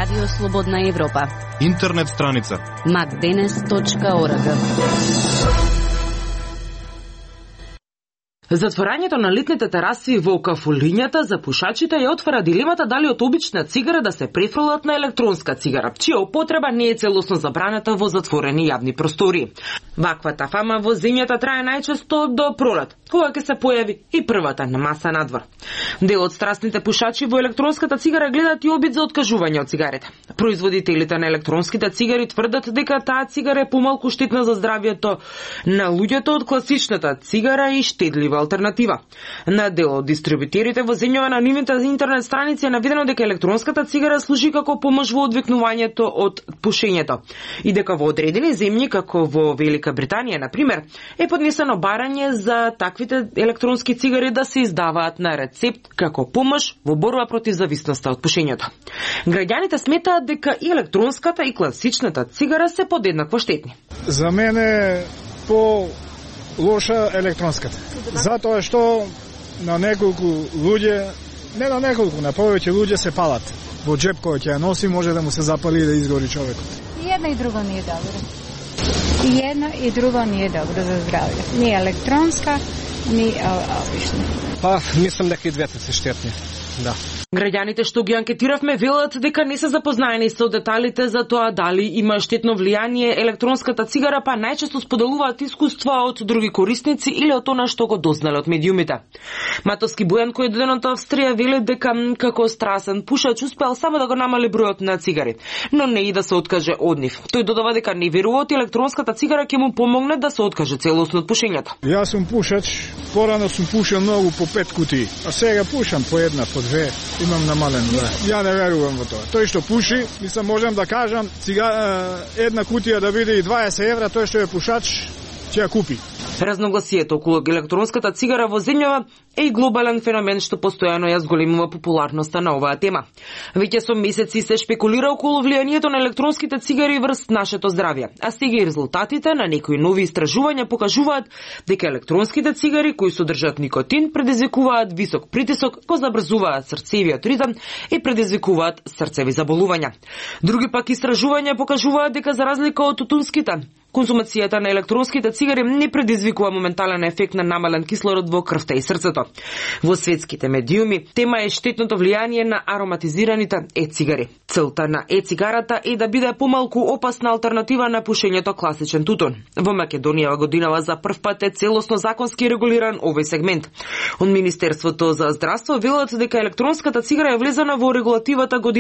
Радио Слободна Европа. Интернет страница macdenes.org. Затворањето на летните тераси во кафулињата за пушачите ја отвара дилемата дали од обична цигара да се префрлат на електронска цигара, чија употреба не е целосно забраната во затворени јавни простори. Ваквата фама во земјата трае најчесто до пролет, кога ќе се појави и првата на маса надвор. Дел од страстните пушачи во електронската цигара гледаат и обид за откажување од цигарите. Производителите на електронските цигари тврдат дека таа цигара е помалку штетна за здравјето на луѓето од класичната цигара и штедлива алтернатива. На дел од дистрибутерите во земјава на нивните интернет страници е наведено дека електронската цигара служи како помош во одвикнувањето од пушењето и дека во одредени земји како во Велика Британија, на пример, е поднесено барање за таквите електронски цигари да се издаваат на рецепт како помош во борба против зависноста од пушењето. Граѓаните сметаат дека и електронската и класичната цигара се подеднакво штетни. За мене по лоша електронската. Затоа што на неколку луѓе, не на неколку, на повеќе луѓе се палат. Во джеп кој ќе ја носи може да му се запали и да изгори човекот. И едно и друго не е добро. И едно и друго не е добро за здравје. Ни електронска, ни обична. Па, мислам дека и двете се штетни. Да. Граѓаните што ги анкетиравме велат дека не се запознаени со деталите за тоа дали има штетно влијание електронската цигара, па најчесто споделуваат искуства од други корисници или од она што го дознале од медиумите. Матовски Бојан, кој е доден од Австрија, вели дека како страсен пушач успеал само да го намали бројот на цигари, но не и да се откаже од нив. Тој додава дека не верува од електронската цигара ќе му помогне да се откаже целосно од пушењето. Јас сум пушач, порано сум пушил многу по 5 кутии, а сега пушам по една, по 2. Имам намален, да. Ја не верувам во тоа. Тој што пуши, мислам можам да кажам, една кутија да биде и 20 евра, тој што е пушач ќе ја купи. Разногласието околу електронската цигара во земјава е и глобален феномен што постојано ја зголемува популарноста на оваа тема. Веќе со месеци се шпекулира околу влијанието на електронските цигари врз нашето здравје, а сега и резултатите на некои нови истражувања покажуваат дека електронските цигари кои содржат никотин предизвикуваат висок притисок, го забрзуваат срцевиот ритм и предизвикуваат срцеви заболувања. Други пак истражувања покажуваат дека за разлика од тутунските, консумацијата на електронските цигари не предизвикува моментален ефект на намален кислород во крвта и срцето. Во светските медиуми тема е штетното влијание на ароматизираните е-цигари. Целта на е-цигарата е да биде помалку опасна алтернатива на пушењето класичен тутун. Во Македонија годинава за прв пат е целосно законски регулиран овој сегмент. Од Министерството за здравство велат дека електронската цигара е влезена во регулативата година